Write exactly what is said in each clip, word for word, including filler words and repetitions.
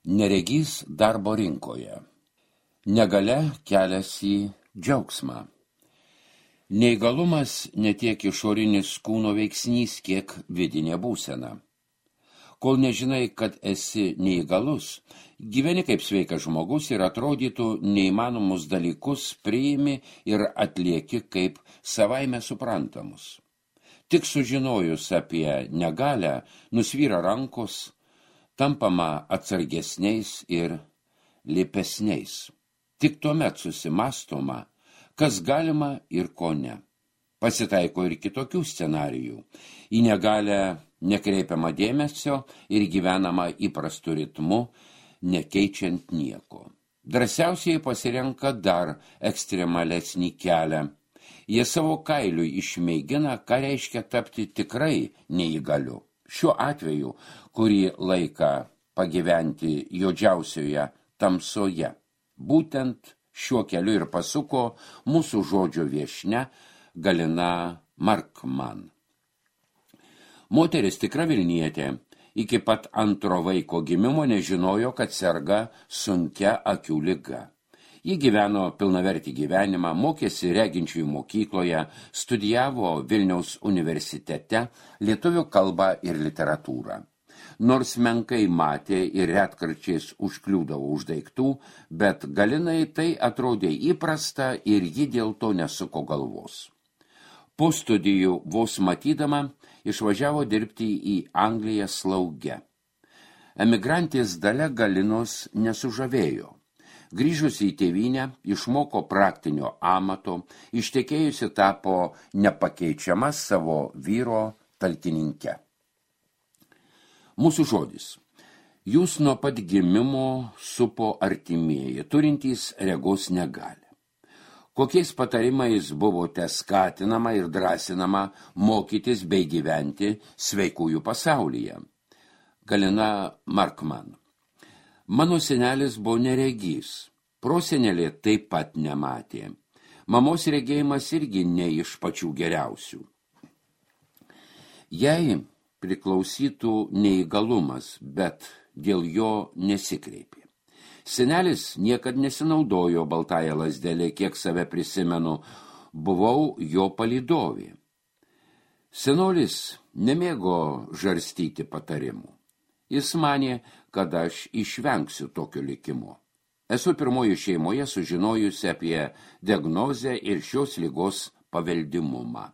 Neregys darbo rinkoje. Negalia kelias į džiaugsmą. Neįgalumas ne tiek išorinis kūno veiksnys, kiek vidinė būsena. Kol nežinai, kad esi neįgalus, gyveni kaip sveikas žmogus ir atrodytų neįmanomus dalykus priimi ir atlieki kaip savaime suprantamus. Tik sužinojus apie negalią, nusvyra rankos, tampama atsargesniais ir lipesniais. Tik tuomet susimąstoma, kas galima ir ko ne. Pasitaiko ir kitokių scenarijų. Į negalią nekreipiama dėmesio ir gyvenama įprastu ritmu, nekeičiant nieko. Drąsiausiai pasirenka dar ekstremalesnį kelią. Jie savo kailiu išmėgina, ką reiškia tapti tikrai neįgaliu. Šiuo atveju, kurį laiką pagyventi juodžiausioje tamsoje. Būtent šiuo keliu ir pasuko mūsų žodžio viešnia Galina Markman. Moteris tikra Vilnietė iki pat antro vaiko gimimo nežinojo, kad serga sunkia akių liga. Ji gyveno pilnavertį gyvenimą, mokėsi reginčiųjų mokykloje, studijavo Vilniaus universitete lietuvių kalbą ir literatūrą. Nors menkai matė ir retkarčiais užkliūdavo už daiktų, bet Galinai tai atrodė įprasta ir ji dėl to nesuko galvos. Po studijų vos matydama išvažiavo dirbti į Angliją slauge. Emigrantės dalia Galinos nesužavėjo. Grįžusi į tėvynę, išmoko praktinio amato, ištekėjusi tapo nepakeičiama savo vyro talkininke. Mūsų žodis. Jūs nuo pat gimimo supo artimieji, turintys regos negalią. Kokiais patarimais buvote skatinama ir drąsinama mokytis bei gyventi sveikųjų pasaulyje? Galina Markman. Mano senelis buvo neregys, prosenelė taip pat nematė. Mamos regėjimas irgi ne iš pačių geriausių. Jai priklausytų neįgalumas, bet dėl jo nesikreipė. Senelis niekad nesinaudojo baltąją lazdelę, kiek save prisimenu, buvau jo palydovė. Senolis nemėgo žarstyti patarimų. Jis manė, kad aš išvengsiu tokio likimo. Esu pirmoji šeimoje sužinojusi apie diagnozę ir šios ligos paveldimumą.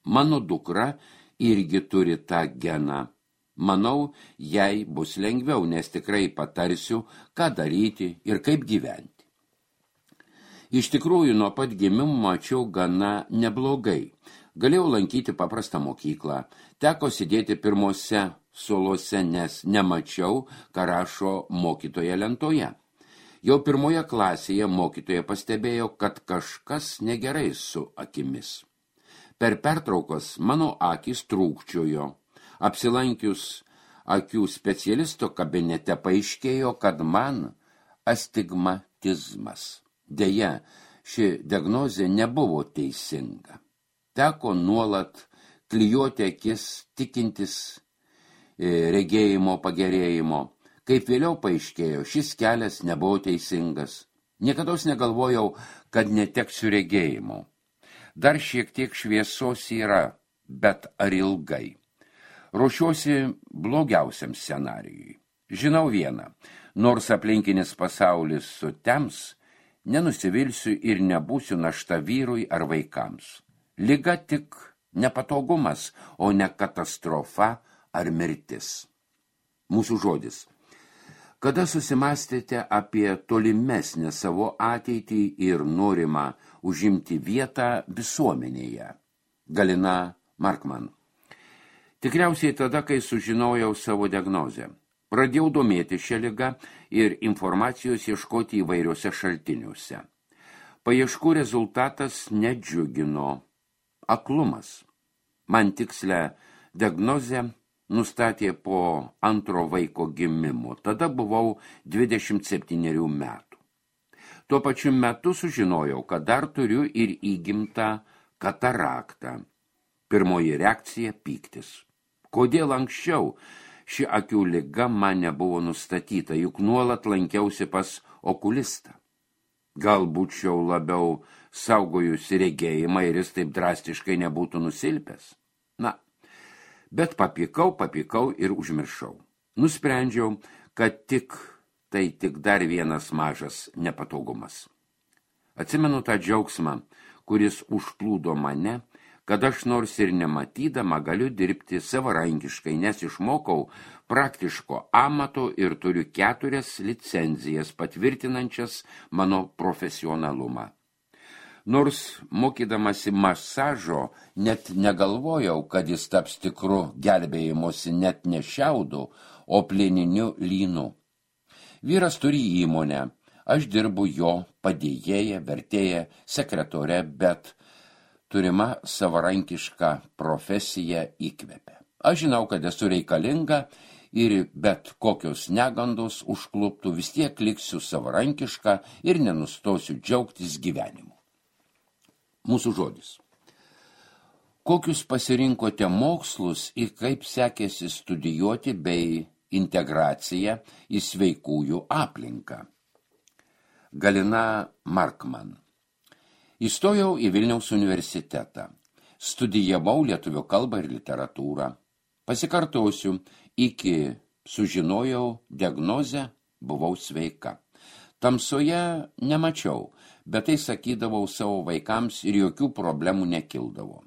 Mano dukra irgi turi tą geną. Manau, jai bus lengviau, nes tikrai patarsiu, ką daryti ir kaip gyventi. Iš tikrųjų, nuo pat gimimo mačiau gana neblogai. Galėjau lankyti paprastą mokyklą, teko sėdėti pirmose suolose, nes nemačiau, ką rašo mokytoja lentoje. Jau pirmoje klasėje mokytoja pastebėjo, kad kažkas negerai su akimis. Per pertraukas mano akys trūkčiojo. Apsilankius akių specialisto kabinete paaiškėjo, kad man astigmatizmas. Deja, ši diagnozė nebuvo teisinga. Teko nuolat klijuoti akis, tikintis regėjimo pagerėjimo. Kaip vėliau paaiškėjo, šis kelias nebuvo teisingas. Niekados negalvojau, kad neteksiu regėjimo. Dar šiek tiek šviesos yra, bet ar ilgai? Ruošiuosi blogiausiam scenarijui. Žinau vieną, nors aplinkinis pasaulis sutems, nenusivilsiu ir nebūsiu našta vyrui ar vaikams. Liga tik nepatogumas, o ne katastrofa ar mirtis. Mūsų žodis. Kada susimąstėte apie tolimesnę savo ateitį ir norimą užimti vietą visuomenėje? Galina Markman. Tikriausiai tada, kai sužinojau savo diagnozę. Pradėjau domėti šią ligą ir informacijos ieškoti įvairiuose šaltiniuose. Paieškų rezultatas nedžiugino. Aklumas. Man tikslę diagnozę nustatė po antro vaiko gimimo. Tada buvau dvidešimt septynerių metų. Tuo pačiu metu sužinojau, kad dar turiu ir įgimtą kataraktą. Pirmoji reakcija – pyktis. Kodėl anksčiau ši akių liga man nebuvo nustatyta, juk nuolat lankiausi pas okulistą. Gal būčiau labiau saugojusi regėjimą ir jis taip drastiškai nebūtų nusilpęs. Na, bet papykau, papykau ir užmiršau. Nusprendžiau, kad tik tai tik dar vienas mažas nepatogumas. Atsimenu tą džiaugsmą, kuris užplūdo mane, kad aš nors ir nematydama galiu dirbti savarankiškai, nes išmokau praktiško amato ir turiu keturias licenzijas patvirtinančias mano profesionalumą. Nors mokydamasi masažo net negalvojau, kad jis taps tikru gelbėjimosi net ne šiaudu, o plieniniu lynu. Vyras turi įmonę, aš dirbu jo padėjėja, vertėja, sekretore, bet turima savarankiška profesija įkvepia. Aš žinau, kad esu reikalinga ir bet kokios negandos užkluptų, vis tiek liksiu savarankiška ir nenustosiu džiaugtis gyvenimu. Mūsų žodis. Kokius pasirinkote mokslus ir kaip sekėsi studijuoti bei integracija į sveikųjų aplinką? Galina Markman. Įstojau į Vilniaus universitetą. Studijavau lietuvių kalbą ir literatūrą. Pasikartosiu, iki sužinojau diagnozę, buvau sveika. Tamsoje nemačiau, bet tai sakydavau savo vaikams ir jokių problemų nekildavo.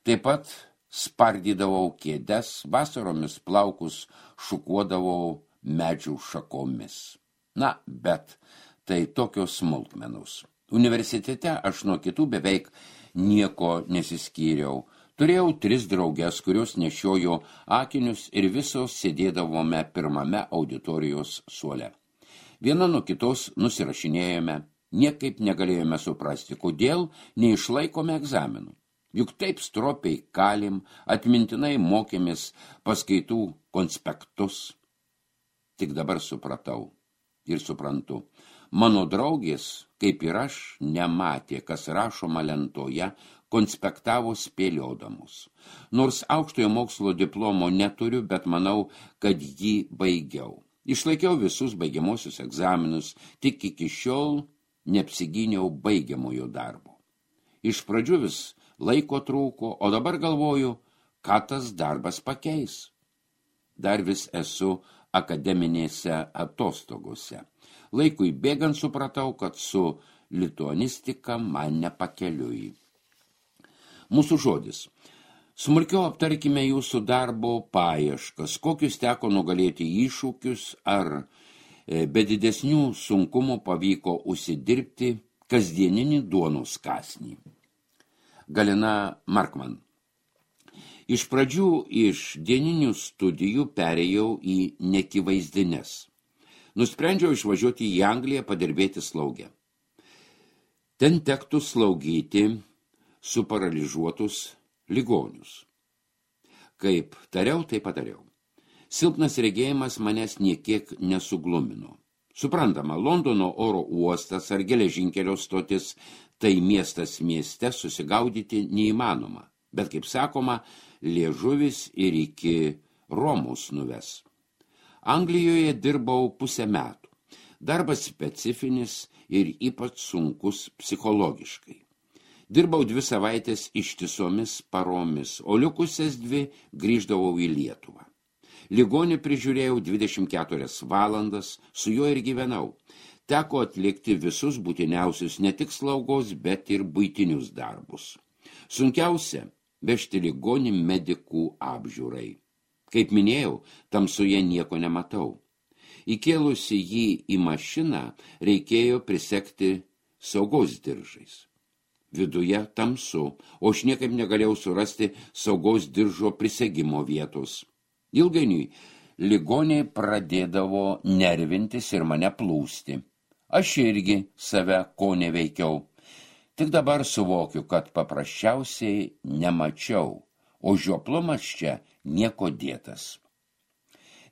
Taip pat spardydavau kėdes, vasaromis plaukus šukuodavau medžių šakomis. Na, bet tai tokios smulkmenos. Universitete aš nuo kitų beveik nieko nesiskyriau. Turėjau tris drauges, kurios nešiojo akinius ir visos sėdėdavome pirmame auditorijos suole. Viena nuo kitos nusirašinėjome, niekaip negalėjome suprasti, kodėl neišlaikome egzaminų. Juk taip stropiai kalim, atmintinai mokėmės paskaitų konspektus. Tik dabar supratau ir suprantu. Mano draugės, kaip ir aš, nematė, kas rašoma lentoje, konspektavo spėliodamus. Nors aukštojo mokslo diplomo neturiu, bet manau, kad jį baigiau. Išlaikiau visus baigiamosius egzaminus, tik iki šiol neapsigyniau baigiamojo darbo. Iš pradžių vis laiko trūko, o dabar galvoju, ką tas darbas pakeis. Dar vis esu akademinėse atostogose. Laikui bėgant supratau, kad su lituanistika man nepakeliui. Mūsų žodis. Smulkiau aptarkime jūsų darbo paieškas, kokius teko nugalėti iššūkius, ar be didesnių sunkumų pavyko užsidirbti kasdieninį duonos kąsnį. Galina Markman. Iš pradžių iš dieninių studijų perėjau į nekivaizdines. Nusprendžiau išvažiuoti į Angliją padirbėti slaugę. Ten tektų slaugyti suparaližuotus ligonius. Kaip tariau, tai padariau. Silpnas regėjimas manęs niekiek nesuglumino. Suprantama, Londono oro uostas ar geležinkelio stotis, tai miestas mieste susigaudyti neįmanoma. Bet, kaip sakoma, liežuvis ir iki Romos nuves. Anglijoje dirbau pusę metų. Darbas specifinis ir ypač sunkus psichologiškai. Dirbau dvi savaitės ištisomis paromis, o likusias dvi grįždavau į Lietuvą. Ligonį prižiūrėjau dvidešimt keturias valandas, su juo ir gyvenau. Teko atlikti visus būtiniausius ne tik slaugos, bet ir buitinius darbus. Sunkiausia – vežti ligonį medikų apžiūrai. Kaip minėjau, tamsoje nieko nematau. Įkėlusi jį į mašiną, reikėjo prisekti saugos diržais. Viduje tamsu, o aš niekaip negalėjau surasti saugos diržo prisegimo vietos. Ilgainiui ligoniai pradėdavo nervintis ir mane plūsti. Aš irgi save ko neveikiau. Tik dabar suvokiu, kad paprasčiausiai nemačiau, o žioplumas čia nieko dėtas.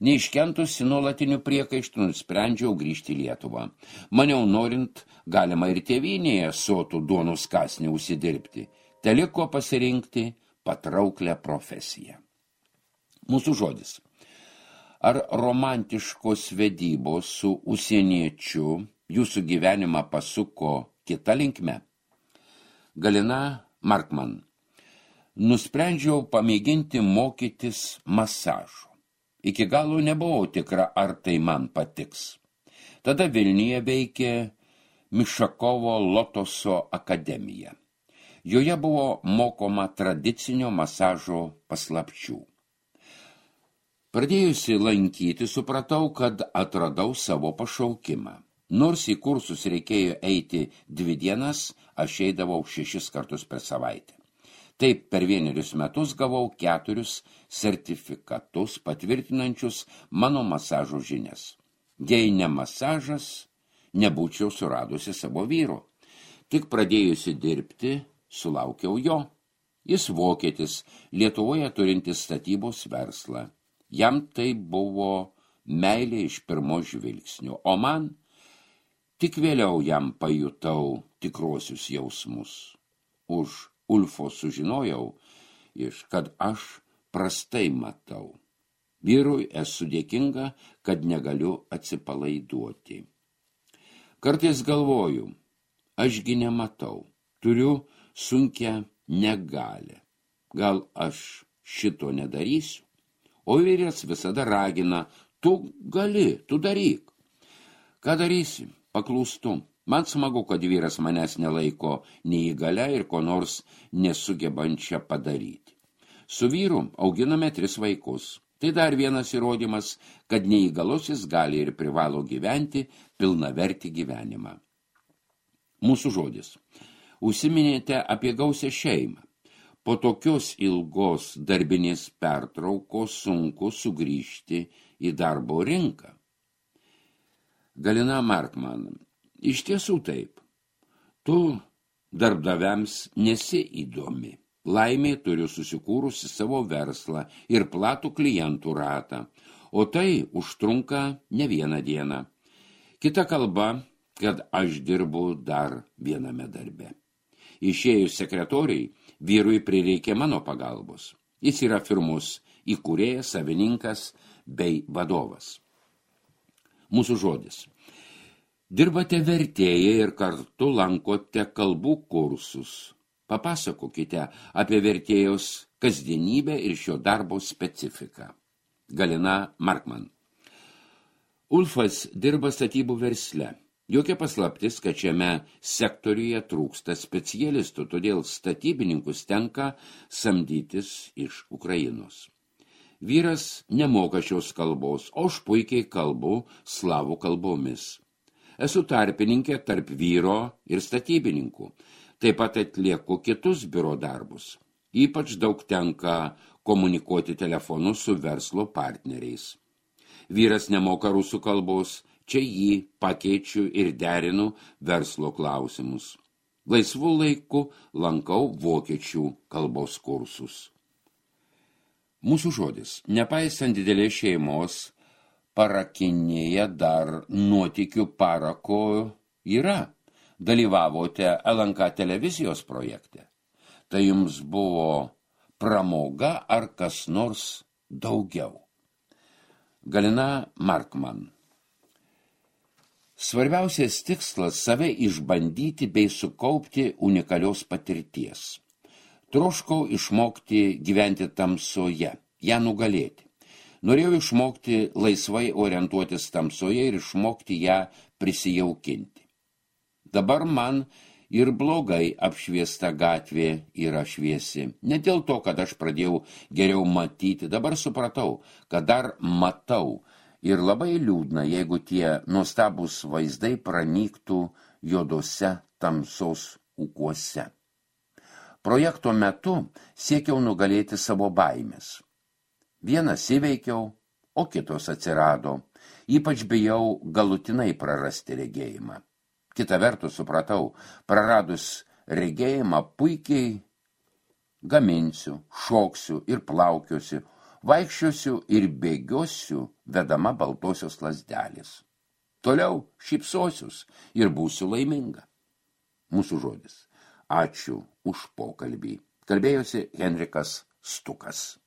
Neiškentusi nuolatinių priekaištų, nusprendžiau grįžti į Lietuvą. Maniau, norint, galima ir tėvynėje sotų duonos kąsnį užsidirbti. Teliko pasirinkti patrauklią profesiją. Mūsų žodis. Ar romantiškos vedybos su užsieniečiu jūsų gyvenimą pasuko kita linkme? Galina Markman. Nusprendžiau pamėginti mokytis masažo. Iki galo nebuvau tikra, ar tai man patiks. Tada Vilniuje veikė Mišakovo Lotoso akademija. Joje buvo mokoma tradicinio masažo paslapčių. Pradėjusi lankyti, supratau, kad atradau savo pašaukimą. Nors į kursus reikėjo eiti dvi dienas, aš eidavau šešis kartus per savaitę. Taip per vienerius metus gavau keturius sertifikatus patvirtinančius mano masažo žinias. Jei ne masažas, nebūčiau suradusi savo vyro. Tik pradėjusi dirbti, sulaukiau jo. Jis vokietis, Lietuvoje turintis statybos verslą. Jam tai buvo meilė iš pirmo žvilgsnio, o man tik vėliau jam pajutau tikrosius jausmus. Už Ulfo sužinojau, iš kad aš prastai matau. Vyrui esu dėkinga, kad negaliu atsipalaiduoti. Kartais galvoju, ašgi nematau, turiu sunkią negalią. Gal aš šito nedarysiu? O vyras visada ragina, tu gali, tu daryk. Ką darysi? Paklūstu. Man smagu, kad vyras manęs nelaiko neįgalia ir ko nors nesugebančia padaryti. Su vyru auginame tris vaikus. Tai dar vienas įrodymas, kad neįgalusis gali ir privalo gyventi pilnavertį gyvenimą. Mūsų žodis. Užsiminėte apie gausią šeimą. Po tokios ilgos darbinės pertraukos sunku sugrįžti į darbo rinką. Galina Markman. Iš tiesų taip. Tu darbdaviams nesi įdomi. Laimė turiu susikūrusi savo verslą ir platų klientų ratą, o tai užtrunka ne vieną dieną. Kita kalba, kad aš dirbu dar viename darbe. Išėjus sekretoriai, vyrui prireikė mano pagalbos. Jis yra firmos įkūrėjas, savininkas bei vadovas. Mūsų žodis. Dirbate vertėjai ir kartu lankote kalbų kursus. Papasakokite apie vertėjos kasdienybę ir šio darbo specifiką. Galina Markman. Ulfas dirba statybų versle. Jokia paslaptis, kad šiame sektoriuje trūksta specialistų, todėl statybininkus tenka samdytis iš Ukrainos. Vyras nemoka šios kalbos, o aš puikiai kalbu slavų kalbomis. Esu tarpininkė tarp vyro ir statybininkų. Taip pat atlieku kitus biuro darbus. Ypač daug tenka komunikuoti telefonu su verslo partneriais. Vyras nemoka rusų kalbos, čia jį pakeičiu ir derinu verslo klausimus. Laisvų laikų lankau vokiečių kalbos kursus. Mūsų žodis. Nepaisant didelės šeimos, parakinėje dar nuotykių parako yra. Dalyvavote L N K televizijos projekte. Tai jums buvo pramoga ar kas nors daugiau? Galina Markman. Svarbiausias tikslas save išbandyti bei sukaupti unikalios patirties. Troškau išmokti gyventi tamsoje, ją nugalėti. Norėjau išmokti laisvai orientuotis tamsoje ir išmokti ją prisijaukinti. Dabar man ir blogai apšviesta gatvė yra šviesi. Ne dėl to, kad aš pradėjau geriau matyti, dabar supratau, kad dar matau. Ir labai liūdna, jeigu tie nuostabūs vaizdai pranyktų juodose tamsos ūkuose. Projekto metu siekiau nugalėti savo baimės. Vienas įveikiau, o kitos atsirado. Ypač bijau galutinai prarasti regėjimą. Kita vertus supratau, praradus regėjimą puikiai gaminsiu, šoksiu ir plaukiosiu, vaikščiosiu ir bėgiosiu vedama baltosios lazdelės. Toliau šypsosius ir būsiu laiminga. Mūsų žodis. Ačiū už pokalbį. Kalbėjosi Henrikas Stukas.